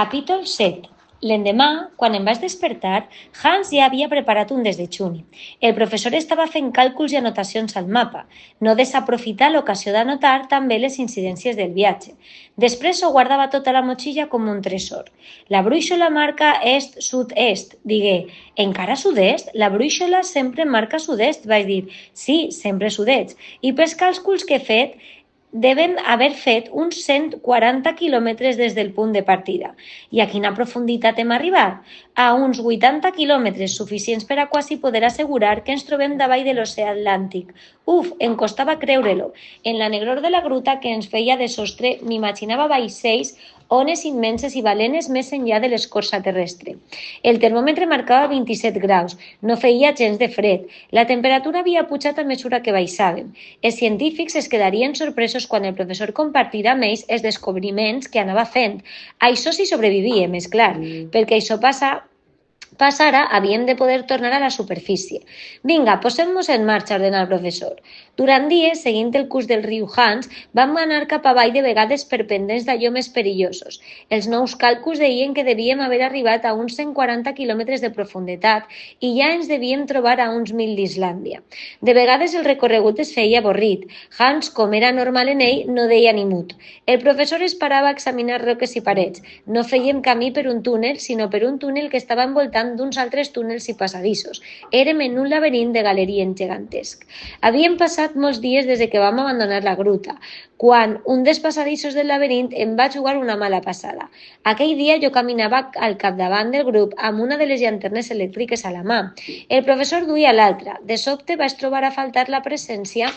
Capítol 7. L'endemà, quan em vaig despertar, Hans ja havia preparat un desdejuni. El professor estava fent càlculs i anotacions al mapa. No desaprofitar l'ocasió d'anotar també les incidències del viatge. Després ho guardava tota la motxilla com un tresor. La brúixola marca est-sud-est, digué. Encara sud-est? La brúixola sempre marca sud-est, vaig dir. Sí, sempre sud-est. I pels càlculs que he fet, deven haver fet uns 140 quilòmetres des del punt de partida. I a quina profunditat hem arribat? A uns 80 quilòmetres, suficients per a quasi poder assegurar que ens trobem davall de l'oceà Atlàntic. Uf, em costava creure-lo. En la negror de la gruta que ens feia de sostre m'imaginava vaixells, ones immenses i balenes més enllà de l'escorça terrestre. El termòmetre marcava 27 graus, no feia gens de fred. La temperatura havia pujat a mesura que baixàvem. Els científics es quedarien sorpresos quan el professor compartirà amb ells els descobriments que anava fent. Això sí sobrevivíem, és clar, perquè això passara, havíem de poder tornar a la superfície. Vinga, posem-nos en marxa, ordenà el professor. Durant dies, seguint el curs del riu Hans, vam anar cap avall de vegades per pendents d'allò més perillosos. Els nous càlculs deien que devíem haver arribat a uns 140 quilòmetres de profunditat i ja ens devíem trobar a uns 1.000 d'Islàndia. De vegades el recorregut es feia avorrit. Hans, com era normal en ell, no deia ni mut. El professor es parava a examinar roques i parets. No fèiem camí per un túnel, sinó per un túnel que estava envoltant d'uns altres túnels i passadissos. Érem en un laberint de galeries gegantesc. Havíem passat molts dies des que vam abandonar la gruta, quan un dels passadissos del laberint em va jugar una mala passada. Aquell dia jo caminava al capdavant del grup amb una de les llanternes elèctriques a la mà. El professor duia l'altra. De sobte vaig trobar a faltar la presència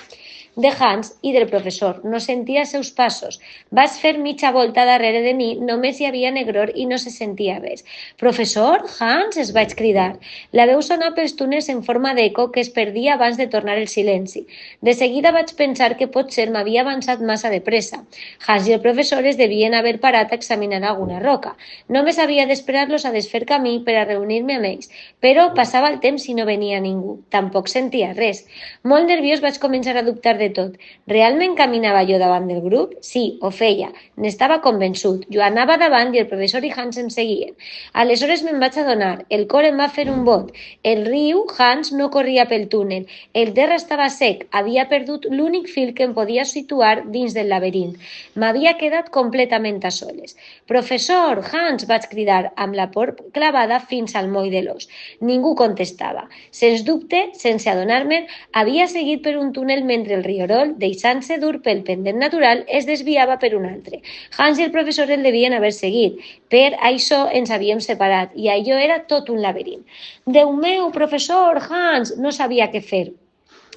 de Hans i del professor. No sentia els seus passos. Vaig fer mitja volta darrere de mi, només hi havia negror i no se sentia res. Professor? Hans? Es vaig cridar. La veu sonava pels túnels en forma d'eco que es perdia abans de tornar el silenci. De seguida vaig pensar que potser m'havia avançat massa de pressa. Hans i el professor es devien haver parat a examinar alguna roca. Només havia d'esperar-los a desfer camí per a reunir-me amb ells, però passava el temps i no venia ningú. Tampoc sentia res. Molt nerviós vaig començar a dubtar de tot. Realment caminava jo davant del grup? Sí, ho feia. N'estava convençut. Jo anava davant i el professor i Hans em seguien. Aleshores me'n vaig adonar. El cor em va fer un bot. El riu Hans no corria pel túnel. El terra estava sec. Havia perdut l'únic fil que em podia situar dins del laberint. M'havia quedat completament a soles. Professor, Hans, vaig cridar amb la por clavada fins al moll de l'os. Ningú contestava. Sens dubte, sense adonar-me'n, havia seguit per un túnel mentre el rierol, deixant-se dur pel pendent natural, es desviava per un altre. Hans i el professor el devien haver seguit. Per això ens havíem separat i allò era tot un laberint. Déu meu, professor, Hans, no sabia què fer.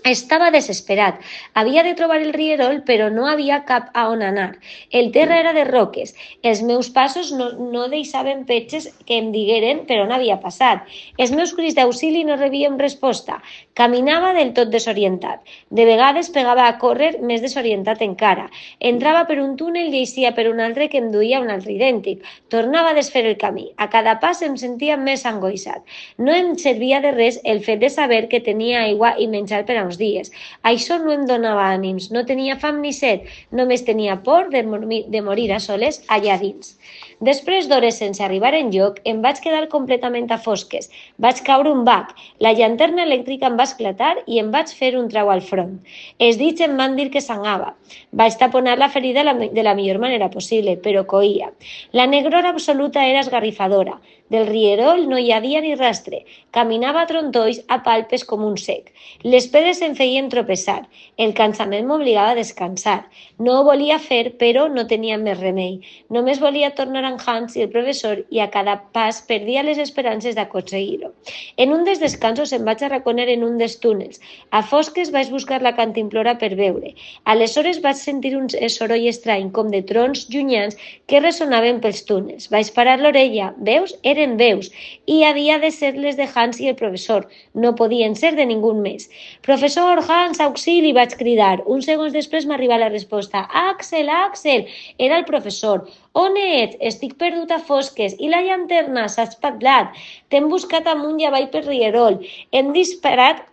Estava desesperat. Havia de trobar el rierol, però no havia cap a on anar. El terra era de roques. Els meus passos no deixaven petges que em digueren per on havia passat. Els meus crits d'auxili no rebien resposta. Caminava del tot desorientat. De vegades pegava a córrer més desorientat encara. Entrava per un túnel i eixia per un altre que em duia a un altre idèntic. Tornava a desfer el camí. A cada pas em sentia més angoixat. No em servia de res el fet de saber que tenia aigua i menjar per a uns dies. Això no em donava ànims, no tenia fam ni set, només tenia por de morir a soles allà dins. Després d'hores sense arribar enlloc, em vaig quedar completament a fosques. Vaig caure un bac, la llanterna elèctrica em va esclatar i em vaig fer un trau al front. Els dits em van dir que sangava. Vaig taponar la ferida de la millor manera possible, però coïa. La negror absoluta era esgarrifadora. Del rierol no hi havia ni rastre. Caminava a trontolls a palpes com un sec. Les pedres em feien tropeçar. El cansament m'obligava a descansar. No ho volia fer, però no tenia més remei. Només volia tornar amb Hans i el professor i a cada pas perdia les esperances d'aconseguir-ho. En un dels descansos em vaig arraconar en un dels túnels. A fosques vaig buscar la cantimplora per veure. Aleshores vaig sentir un soroll estrany com de trons llunyans que ressonaven pels túnels. Vaig parar l'orella. Veus? Eren veus. I havia de ser les de Hans i el professor. No podien ser de ningú més. Professor, Hans, auxili, vaig cridar. Uns segons després m'arriba la resposta. Axel, Axel! Era el professor. On ets? Estic perdut a fosques. I la llanterna? S'ha espatllat. T'hem buscat amunt i avall per rierol. Hem disparat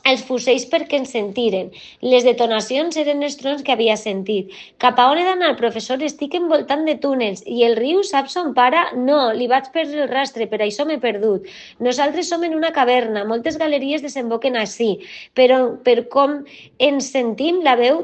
els fusells perquè ens sentiren. Les detonacions eren els trons que havia sentit. Cap a on he d'anar, professor? Estic envoltant de túnels. I el riu sap son pare? No, li vaig perdre el rastre, per això m'he perdut. Nosaltres som en una caverna, moltes galeries desemboquen així, però per com ens sentim, la veu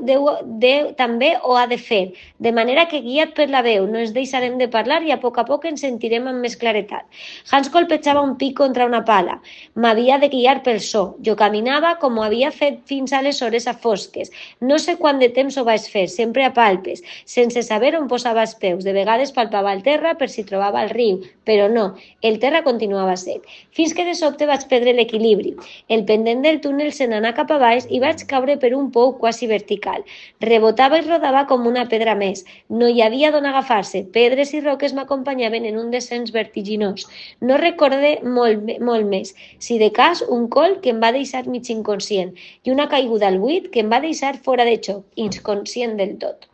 també ho ha de fer. De manera que guiat per la veu, no ens deixarem de parlar i a poc ens sentirem amb més claretat. Hans colpejava un pic contra una pala. M'havia de guiar pel so. Jo caminava com ho havia fet fins aleshores a fosques. No sé quant de temps ho vaig fer, sempre a palpes, sense saber on posava els peus. De vegades palpava el terra per si trobava el riu, però no, el terra continuava sec. Fins que de sobte vaig perdre l'equilibri. El pendent del túnel se n'anà cap a baix i vaig caure per un pou quasi vertical. Rebotava i rodava com una pedra més. No hi havia d'on agafar-se. Pedres i roques m'acompanyaven en un descens vertiginós. No recorde molt més. Si de cas, un col que em va deixar mig inconscient i una caiguda al buit que em va deixar fora de xoc, inconscient del tot.